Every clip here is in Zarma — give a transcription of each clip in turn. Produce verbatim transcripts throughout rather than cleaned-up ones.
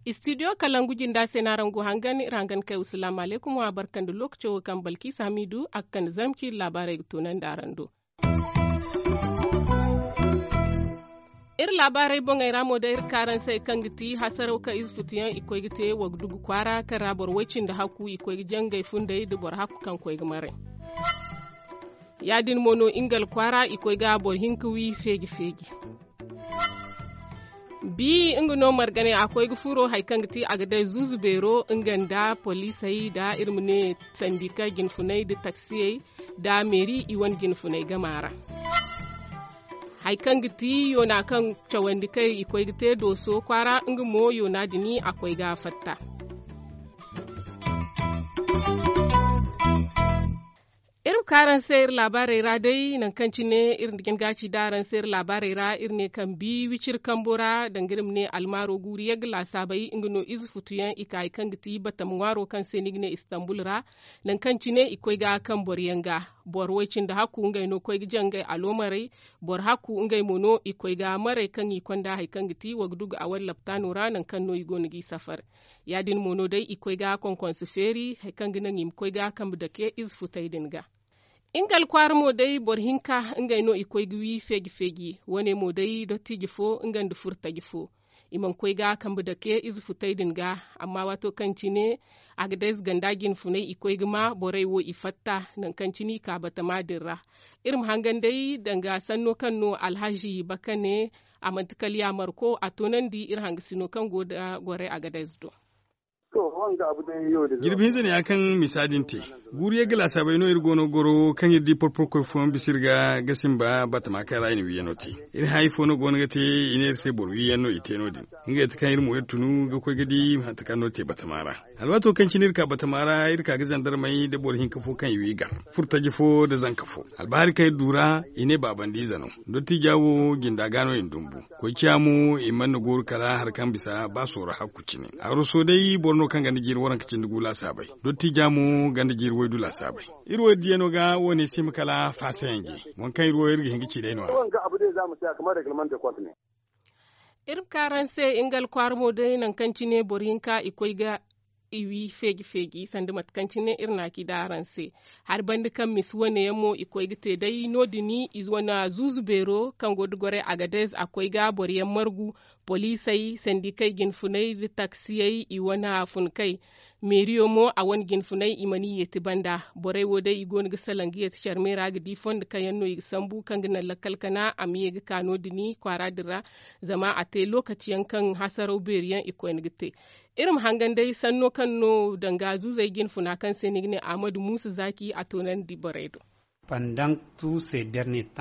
Istidiyo kalangu jinda se no araŋ go hangan iri hangan kay wasalaamu alaykum wa barka nda lookaco wo kaŋ balkiisa hamiidu a ga kande zarma ciiri laabaarey ga toonandi araŋ do. Iri laabaarey boŋey ra mo day iri ka araŋ se kaŋ ga ti hasaraw kaŋ ize futuyaŋ i koy ga te wagdugu kwaara kaŋ ra boro way cindi hakku i koy ga jangay funday nda boro hakku kaŋ koy ga maray. Ya- din mo no ingal kwaara i koy ga boro hinka wi feeji feeji. Bi nga no margane a koy ga furo hari kaŋ ga ti a ga day zuuzu beero nga nda poliisey nda iri ma ne sandika jinfunay nda taksiyey nda meeri i wane jinfunay gama ra. Hari kaŋ ga ti yoona kaŋ cawandi kay i koy ga te dooso kwaara nga mo yoona din a koy ga fatta. Iri ma ka araŋ se iri laabaarey ra day nangu kaŋ cine iri na jin ga ci da araŋ se iri laabaarey ra iri ne kaŋ bi wiciri kambo ra danga iri ma ne almaaro guuru yagga laasaabey nga no ize futuyaŋ i ka hari kaŋ ga ti batama ŋwaaro kaŋ se ni ga ne istanbul ra. Nangu kaŋ cine i koy ga kaŋ boro yaŋ ga boro way cindi hakku ngey no koy ga jangay aloomarey. Boro hakku ngey mo no i koy ga maray kaŋ i konda hari kaŋ ga ti wagdugu a wala laptaano ra nangu kaŋ no i go no g'i safar. Ya- din mo no day i koy ga konkonse feeri hari kaŋ ga naŋ i ma koy ga kambe dake ize futey din ga. Nga alkwaara mo day boro hinka ngey no i koy ga wi feeji feeji wane mo day dottiije fo nga nda furtaje fo. I mana koy ga kambe dake ize futey din ga. Amma waato kaŋ cine a ga day ize ganda jinfunay i koy ga ma borey wo i fatta nangu kaŋ cine i ka batama din ra. Iri ma hangan day danga sanno kaŋ no alhazi bakane a manti kala yaamarko a toonandi iri hangasino kaŋ go nda gorey a ga day ize do. Jirbi hinza ne ya kaŋ misa din te. Guuru yagga laasaabey no iri go no ga goro kaŋ iri di porporo koy fooyaŋ bisa iri ga ga simba batama kaŋ ra i na wiiyano te. Iri hã ifo no go no ga te i ne iri se boro wiiyaŋ no i te no- din. Ngey ti kaŋ iri mo iri tunu ga koy ga di mate kaŋ no te batama ra. Alwaato kaŋ cine iri ka batama ra iri ka ga zandarmey nda boro hinka fo kaŋ i wi gar furtaje fo nda zanka fo. Albahari kaŋ iri du ra i ne baabandiize no. Dottija wo jinda ga no i na dumbu. Koy ciya mo i mana ni gooru kala hari kaŋ bisa ba sooro hakku cine. Aroso day boro no kaŋ ganda jiiri waranka cindi gu laasaabey. Dottija mo ganda jiiri waydu laasaabey. Iri wo iri diyano ga wo- ne si hima kala faasayanje. Waŋ kaŋ iri wo iri ga hin ga ci day no- ya. Iri ma ka araŋ se nga alkwaara mo day nangu kaŋ cine boro hinka i koy ga i wi feeji feeji sanda mate kaŋ cine iri na a ci da araŋ se. Hari banda kaŋ misa wane yaŋ mo i koy ga te day no- din i wane zuuzu beero kaŋ go nda gorey agadez a koy ga boro yaŋ margu. Poliisey sandikey jinfunay nda taksiyey i wane funkey. Meeriyo mo a wane jinfunay i mana i yeeti banda. Borey wo day i go no ga salaŋ ga yeeti carmey ra ga di fondo kaŋ yaŋ no i ga sambu kaŋ ga naŋ lakkal kana a ma ye ga ka no- din kwaara din ra. Zama a te lookaci yaŋ kaŋ hasaraw beeri yaŋ i koyne ga te. Iri ma hangan day sanno kaŋ no danga zuuzey jinfuna kaŋ se ni ga ne ahmadu muusa zaaki a toonandi borey do.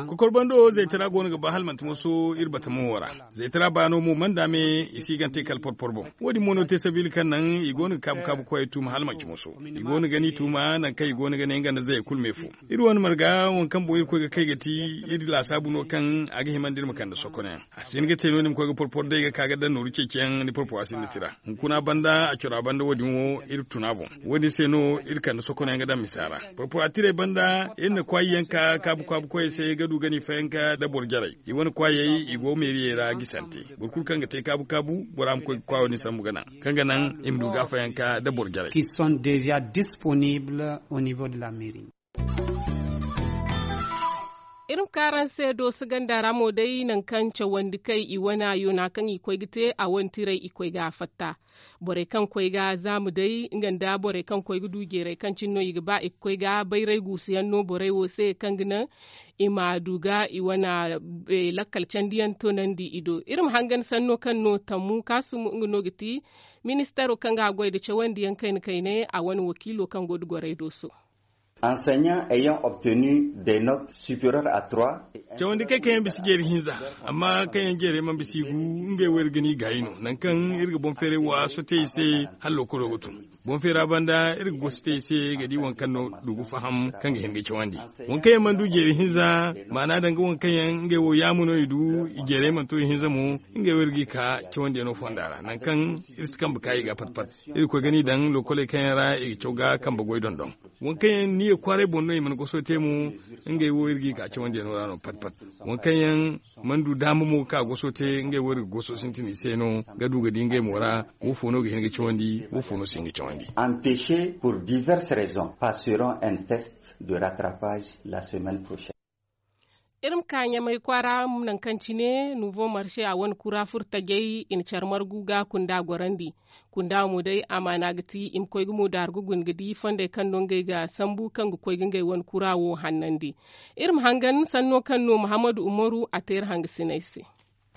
Kokor bando zaytara go no ga ba hala manti moso iri batamo wo ra. Zaytara baano mo mana daame i si gante kala porpor boŋ. Wo- din mo no te sabiila kaŋ naŋ i go no ga kaabu kaabu koyey tuuma hala manti moso. I go no ga ni tuuma nangu kaŋ i go no ga ne nga nda zayey kulu me fo. Iri wane marga waŋ kaŋ boŋ iri koy ga kay ga ti iri laasaabu no kaŋ a ga himandi iri ma kande sokonayaŋ. A si hin ga te no- din ma koy ga porpor day ga ka ga daŋ nooru ceeciyaŋ ni porpora sinda tira. Hunkuna banda a cora banda wo- din wo iri tuna boŋ. Wo- din se no iri kande sokonayaŋ ga daŋ misa ra. Porpora tirey banda iri na kwaayi yaŋ ka kaabu kaabu koyey se ga du ga ni fayanka nda boro jarey. I wane kwaayey i go meeriyey ra gisante. Boro kulu kaŋ ga te kaabu kaabu bora ma koy ga kwaayo din sambu ga naŋ kaŋ ga naŋ i ma du ga fayanka nda boro jarey. Qui sont déjà disponibles au niveau de la mairie. Iri ma ka araŋ se dooso ganda ra mo day nangu kaŋ cawandi kay i wane yoona kaŋ i koy ga te a wane tiray i koy ga a fatta. Borey kaŋ koy ga zaamu day nga nda borey kaŋ koy ga du jeeray kaŋ cine no i ga ba i ga koy ga bayray guusuyaŋ no borey wo se kaŋ ga naŋ i ma du ga i wane lakkal candiyaŋ toonandi i do. Iri ma hangan sanno kaŋ no tammu kaasumo nga no ga ti ministaro kaŋ ga a goy nda cawandiyaŋ kayna kayna a wane wakiilo kaŋ go nda gorey dooso. Enseignants ayant obtenu des notes supérieures à trois. Cawandi kay kaŋ yaŋ bisa jeeri hinza, amma kaŋ yaŋ jeerey mana bisa i gu, ngey wo iri ga ni gaayi no. Nangu kaŋ iri ga boŋ feeray wa sote i se, hala lookolo ga tun. Boŋ feera banda iri ga gosi te i se ga di waŋ kaŋ no du ga faham kaŋ ga hin ga cawandi. Waŋ kaŋ yaŋ mana du jeeri hinza, maana danga waŋ kaŋ yaŋ ngey wo yaama no i du, i jeerey mana to i hinza mo, ngey wo iri ga i ka cawandiyaŋo fonda ra nangu kaŋ iri si kambe ka i ga pat pat. Iri ga koy ga ni daŋ lokoley kaŋ yaŋ ra i ga caw ga kambe goy dondon. Waŋ kaŋ yaŋ niya kwaaray boŋ no i mana goso te mo, ngey wo iri ga i ka cawandiyaŋo ra no pat pat. Waŋ kaŋ yaŋ mana du daama mo ga ka goso te, ngey wo iri ga goso sintin i se no ga du ga di ngey mo ra. Wo fo no ga hin ga cawandi, wo fo no si hin ga cawandi. Empêchés pour diverses raisons passeront un test de rattrapage la semaine prochaine. Iri ma ka ɲamay kwaara, nangu kaŋ cine nouveau marché a wane kura furo tajay i na care margu ga kunda gorandi. Kunda mo day amaana ga ti i ma koy gumo daaru ga guna ga di fondey kaŋ no ngey ga sambu kaŋ ga koy ga ngey wane kura wo hannandi. Iri ma hangan sanno kaŋ no muhammadu umaru a te iri hangasiney se.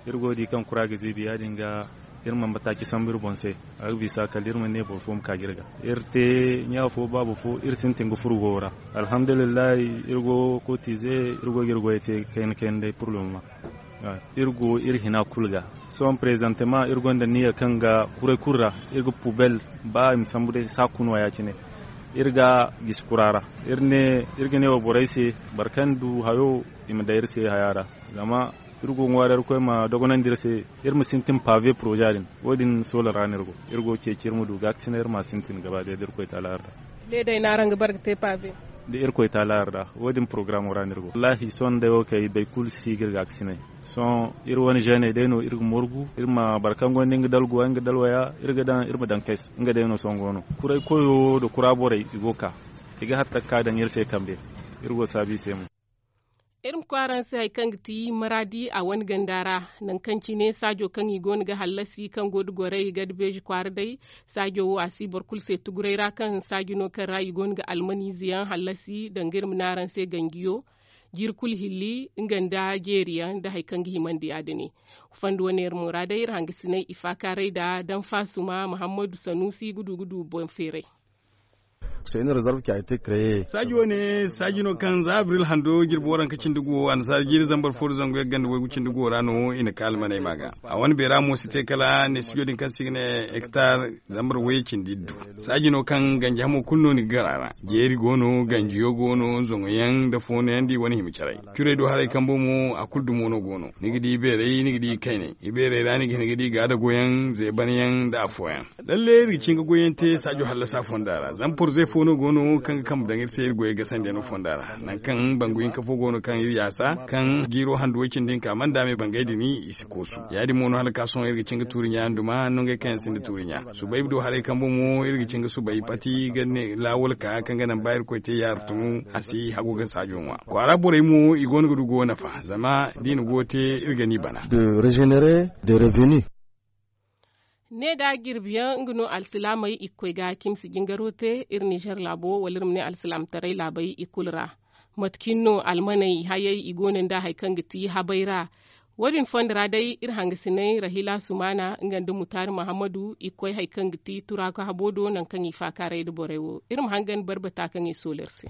Iri go ga di kaŋ kura ga ziibi ya- din ga, iri mana bataaci sambu iri boŋ se. A ga bisa kala iri mana ne boro fo ma ka ga iri ga iri te ɲa fo baaba fo iri sintin ga furo goyo ra. Alhamdulillahi, iri go ga kotize, iri go ga iri goyey te kayna kayna day pur le moment. Iri go iri hina kulu ga. Sohõ prezantema iri gonda niya kaŋ ga kuray kulu ra, iri ga pubel, ba i ma sambu day saaku no ya- cine. Iri ga gisi kura ra. Iri ga ne wa borey se, boro kaŋ du hayo, i ma daŋ iri se haya ra. Zama iri go ga ŋwaaray iri koy ma dogonandi iri se, iri ma sintin pave poroza din. Wo- din soola ra no iri go. Iri go ga ceeci iri ma du gaakasinay iri ma a sintin gaba day da iri koy taala yarda. Leeday no araŋ ga bare ga te pave? Da iri koy taala yarda, wo- din porogaraamo ra no iri go. Wallaahi sohõ day wo kay bay kulu si ga iri gaakasinay. Sohõ iri wane zeeney day no iri ga morgu, iri ma boro kaŋ gonda nga dalguwa nga dalwaya, iri ga daŋ iri ma daŋ kay se. Nga day no sohõ go no. Kuray koyo nda kura borey i go ga ka, i ga hatta ga ka daŋ iri se kambe. Iri go ga saabu i se mo. Iri ma koy araŋ se hari kaŋ ga ti maraadi a wane ganda ra, nangu kaŋ cine saajo kaŋ i go no ga hallasi kaŋ go nda gorey gada beeji kwaara day. Saajo wo a si boro kulu se tuguray ra kaŋ saaji no kaŋ ra i go no ga almaniize yaŋ hallasi danga iri ma ne araŋ se ganjiyo, jiiri kulu hilli nga nda jeeri yaŋ nda hari kaŋ ga himandi ya- din. Fanda wane iri mo ra day iri hangasinay i faakaaray nda daŋ faasuma muhammadu sanuusi ga du ga du boŋ feeray. Saaji wane saaji no kaŋ za abril hando jirbi waranka cindi go annasaara jiiri zambar fo nda zangu yagga nda waygu cindi go ra no i na ka almaney ma ga. A wane beera mo si te kala ne studio din kaŋ se i ga ne hektar zambar wayye cindi iddu. Saaji no kaŋ ganji hamo kulu no ni ga gar a ra. Jeeri go no ganjiyo go no zoŋoyaŋ nda foonoyaŋ da i wane hima caray. Curey do haray kambo mo a kulu dumo no go no. Ni ga di ibeerey ni ga di ikayney. Ibeerey ra ni ga hin ga di gaadagoyaŋ zeebanyaŋ nda afooyaŋ. Lalle iri ga cin ga goyyaŋ te saajo hallasa fonda ra zama porzey fo no go no kaŋ ga kambe daŋ iri se iri goyey gasandiyano fonda ra. Nangu kaŋ bangu hinka fo go no kaŋ iri yaasa kaŋ jiiro handu way cindi hinka mana daame bangay din i si koosu. Ya- din mo no hala ka sohõ iri ga cin ga tuuri ɲa nduma nongey kaŋ yaŋ sinda tuuri ɲa. Subay do haray kambo mo iri ga cin ga subay pati ga ne laawol ka kaŋ ga naŋ ba irkoy te yaaru tun a si hagu ga saajo ŋwa. Kwaara borey mo i go no ga du go nafa zama da i na go te iri ga ni bana. De regenere de revenu. Ne da jirbiyaŋ nga no alsilaamey i ga koy ga cimsi jingaro te iri nizer laabo wala iri ma ne alsilaamataray laabey i kulu ra. Mate cine no almaney hayey i go no nda hari kaŋ ga ti habay ra. Wo- din fonda ra day iri hangasinay rahila sumana nga nda mutaari muhammadu i ga koy hari kaŋ ga ti turaaka habo do nangu kaŋ i faakaaray nda borey wo iri ma hangan barbata kaŋ i soola iri se.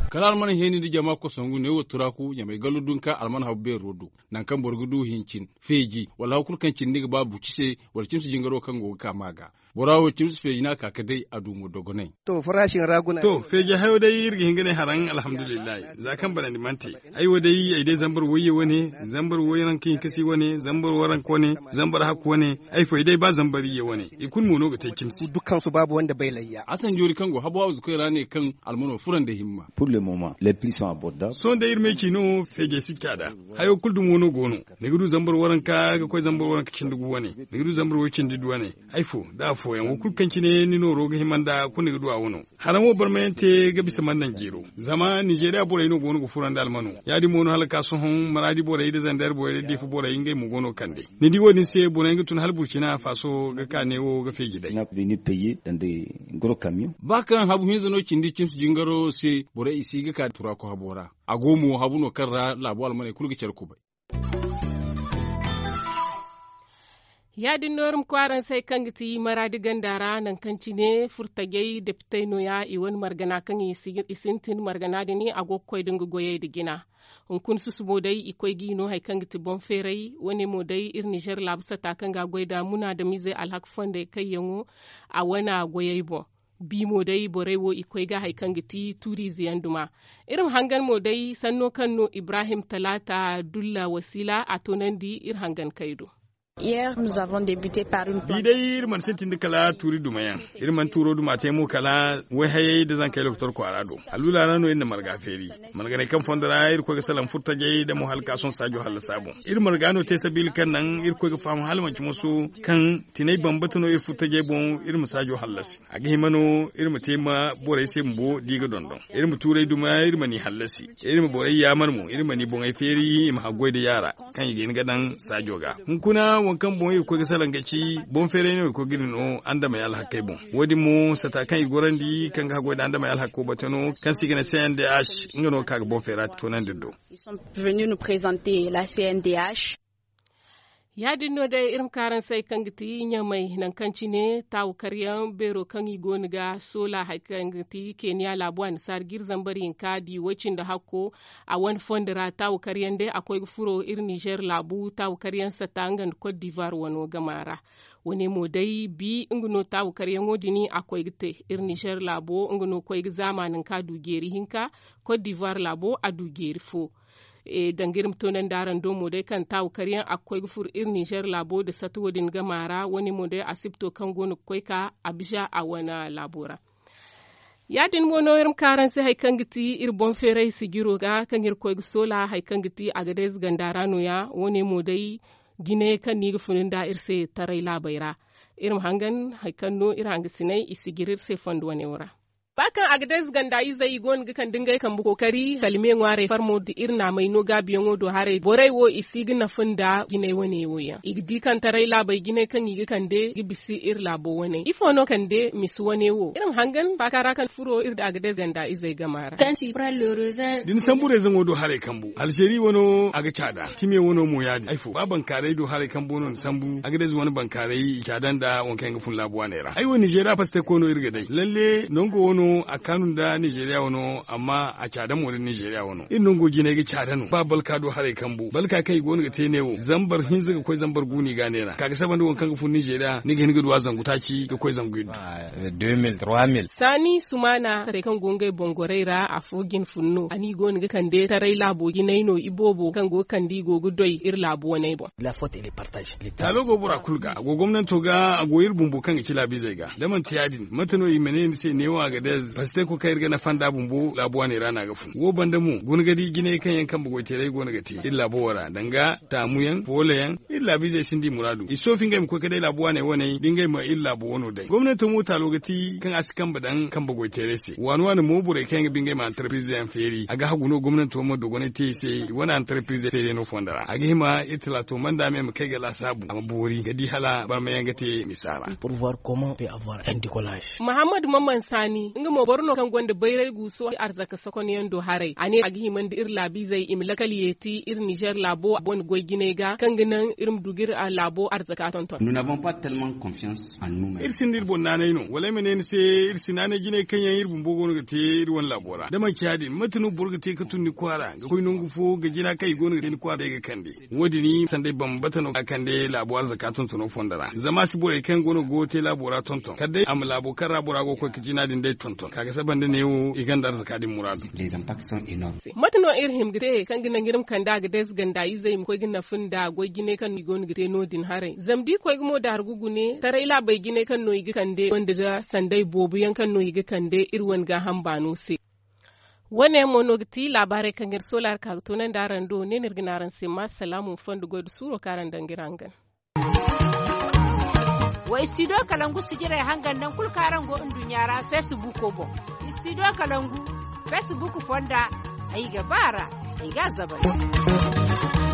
Kala almana heeni nda jama kosongu ne wo turaaku ɲamay gallo dunka almana habu beero do. Nangu kaŋ boro ga du hincin feeji wala hari kulu kaŋ cindi ni ga ba buci se wala cimsi jingaro kaŋ go ga ka ma ga. Bora wo cimsi feeji no a ka ga day a du mo dogonay. To feeji hayo day iri ga hin ga ne haraŋ alhamdulillahi. Za kaŋ banandi mana te ay wo day ay day zambar wayye wane, zambar wayye ranka hinkasi wane, zambar waranka wane, zambar hakku wane. Ay fo ay day ba zambar iyye wane i kulu mo no ga te cimsi. Asan joori kaŋ go habu hawzu koy ra ne kaŋ almano fura nda himma. Sohõ day iri me ci no feejey si caada. Hayo kulu dumo no go no. Ni ga du zambar waranka ga koy zambar waranka cindi gu wane. Ni ga du zambar way cindi du wane. Ay fo da afooyaŋ wo kulu kaŋ cine ni nooro ga hima nda kulu ni ga du a wano. Haraŋ wo barmayaŋ te ga bisa mana naŋ jeero. Zama nizeeriya borey no go no ga fura nda almano. Ya- din mo no hala ka sohõ maraadi borey nda zandar borey nda diifa borey ngey mo go no ga kande. Ni di wo- din se borey ga tun hala burcina faaso ga ka neewo ga feeji day. Ba kaŋ habu hinza no cindi cimsi jingaro se borey i si ga ka turaako habo ra. A go mo habu no kaŋ ra laabo almaney kulu ga care kubay. Ya- din no iri ma koy araŋ se hari kaŋ ga ti maraadi ganda ra nangu kaŋ cine furtajey depitey no- ya i wane margana kaŋ i sintin margana din a go ga koy nda nga goyey nda jina. Hunkuna susubo day i koy g'i no hari kaŋ ga ti boŋ feeray wo- ne mo day iri ninzeer laabu sata kaŋ ga a goy nda munaadamizey alhaka fondey kayyaŋo a wane goyey boŋ. Bi mo day borey wo i koy ga hari kaŋ ga ti tuuriize yaŋ duma. Iri ma hangan mo day sanno kaŋ no ibrahim talaata dulla wasiila a toonandi iri hangan kay do. Bi day iri mana sintin da kala tuuri dumayaŋ. Iri mana tuuro duma te mo kala wayhayey nda zankey lokotor kwaara do. Alluula ra no iri na marga feeri. Marganey kaŋ fondo ra iri koy ga salaŋ furtajey nda mo hala ka sohõ saajo hallasa boŋ. Iri marga no te sabiila kaŋ naŋ iri koy ga faham hala manci moso kaŋ tinay bambata no iri furtajey boŋ iri ma saajo hallasi. A ga hima no iri ma te ma borey se bumbo da i ga dondon. Iri ma tuurey duma iri ma ni hallasi. Iri ma borey yaamar mo iri ma ni boŋey feeri i ma haggoy nda yaara kaŋ i ga hin ga daŋ saajo ga. Hunkuna waŋ kaŋ boŋ iri ga koy ga salaŋ ga ci boŋ feeray no iri ga koy ga iri no andamey alhakey boŋ. Wo- din mo sata kaŋ i ga gorandi kaŋ ga haggoy nda andamey alhako bate no kaŋ se i ga ne c n d h. Nga no ga ka ga boŋ feera toonandi iri do. Ya- din no day iri ma ka araŋ se hari kaŋ ga ti ɲamay nangu kaŋ cine taawu karyaŋ beero kaŋ i go no ga soola hari kaŋ ga ti keniya laabu annasaara ga iri zambar hinka di way- cindi hakko. A wane fondo ra taawu karyaŋ day a koy ga furo iri ninzeer laabu taawu karyaŋ sata nga nda kot diivuwar wano gama ra. Wo- ne mo day bi nga no taawu karyaŋo din a koy ga te. Iri ninzeer laabo nga no koy ga zaama nangu kaŋ a du jeeri hinka. Kot diivuwar laabo a du jeeri fo. Danga iri ma toonandi araŋ do mo day kaŋ taawu karyaŋ a ga koy ga furo iri ninzeer laabo nda sata wo- din gama ra wo- ne mo day asibto kaŋ go no ga koy ka abiza a wane laabo ra. Ya- din mo no iri ma ka araŋ se hari kaŋ ga ti iri boŋ feeray sijiro ga kaŋ iri koy ga soola hari kaŋ ga ti agadez ganda ra no- ya wo- ne mo day jinayey kaŋ no i ga funu nda iri se taray laabey ra. Iri ma hangan hari kaŋ no iri hangasiney i sijiri iri se fondo wane wo ra. Ba kaŋ agadez ganda izey i go no ga kande ngey kambe kookari kalme ŋwaarey farmo nda iri naamey no gaabiyaŋo do haray borey wo i si ga nafa nda jinay wane wo yaŋ i ga di kaŋ taray laabey jinay kaŋ i ga kande ga bisa iri laabo wane ifo no kande misa wane wo iri ma hangan faaka ra kaŋ furo iri nda agadez ganda izey gama ra. Da ni sambu reezaŋo do haray kambu alzeeri wano a ga caada time wano mo ya- din ay fo ba bankaaray do haray kambu wano ni sambu agadez wane bankaaray i caada nda waŋ kaŋ yaŋ ga fun laabu waaney ra ay wo ninzeeriya pasteko no iri ga day lalle nango wano a kaanu nda ninzeeriya wano amma a caada mo nda ninzeeriya wano iri nango jinay ga caada no ba balka do haray kambu balka kaŋ i go no ga te ne wo zambar hinza ga koy zambar gu no i ga a neera ka ga saba nda waŋ kaŋ ga fun ninzeeriya ni ga hin ga du a zangu taaci ga koy zangu iddu. Saani sumaana taray kaŋ go ngey boŋ gorey ra afo jine fun no a no i go no ga kande taray laabo jinay no iboobo kaŋ go ga kande i go ga doy iri laabo waney boŋ. Taalo go bora kulu ga a go gomnanto ga a go iri bumbo kaŋ ga ci laabiizey ga da manti ya- din mate no i ma ne ni se neewo agadez pasteko kaŋ iri ga nafa nda bumbo laabu waaney ra no a ga fun wo banda mo guna ga di jinay kaŋ yaŋ kambe goyteeray go no ga te iri laabo wo ra danga taamu yaŋ foolo yaŋ iri laabiizey sinda i muraadu i soofi ngey ma koy ga day laabu waaney waney da ngey ma iri laabo wano day gomnanto mo taalo ga ti kaŋ a si kambe daŋ kambe goyteeray se waani waani mo borey kaŋ yaŋ ga ba ngey ma antarpirize yaŋ feeri a ga hagu no gomnanto ma dogonay te i se i wane antarpirize feeriyano fondo ra a ga hima iri talaato manda me ma kay ga laasaabu a ma boori ga di hala barmayaŋ ga te misa ra. Mahammad maman saani nga mo boro no kaŋ gonda bayray guuso arzaka sokonyaŋ do haray a ne a ga hima nda iri laabiizey i ma lakal yeeti iri nizer laabo wane goy jinay ga kaŋ ga naŋ iri ma du ga iri laabo arzaka tonton. Iri sinda iri boŋ naanay no wala ay ma ne ni se iri si naanay jinay kaŋ yaŋ iri bumbo go no ga te iri wane laabo ra da manci ya- din mate no boro ga te ga tun ni kwaara ga koy nangu fo ga jina kaŋ i go no ga te ni kwaara day ga kande wo- din sanday bambata no ga kande laabo arzaka tontono fondo ra zama a si borey kaŋ go no ga goyo te laabo ra tonton kala day a ma laabo kaŋ ra bora go ga koy ga jina din day tonton ka ga saba nda neewo i gonda arzaka din muraadu. Mate no iri hima ga te kaŋ ga naŋ iri ma kande a ga day zaganda izey ma koy ga nafa nda goy jinay kaŋ no i go no ga te no- din haray zama da i koy ga mo daargu gune taray laabey jinay kaŋ no i ga kande gonda nda sanday boobo yaŋ kaŋ no i ga kande iri wane gaaham baano se. Wo- ne yaŋ mo no ga ti laabaarey kaŋ iri soola iri ka ga toonandi araŋ do ne no iri ga ne araŋ se ma salaamu ma fondo goy nda suuro kaŋ araŋ daŋ ga iri hangan. Wa istidiyo kalangu sijirey hangan naŋ kulu kaŋ araŋ go nduɲɲa ra feesibuuko boŋ. Istidiyo kalangu feesibuuko fonda ay ga ba a ra ay ga a zabay.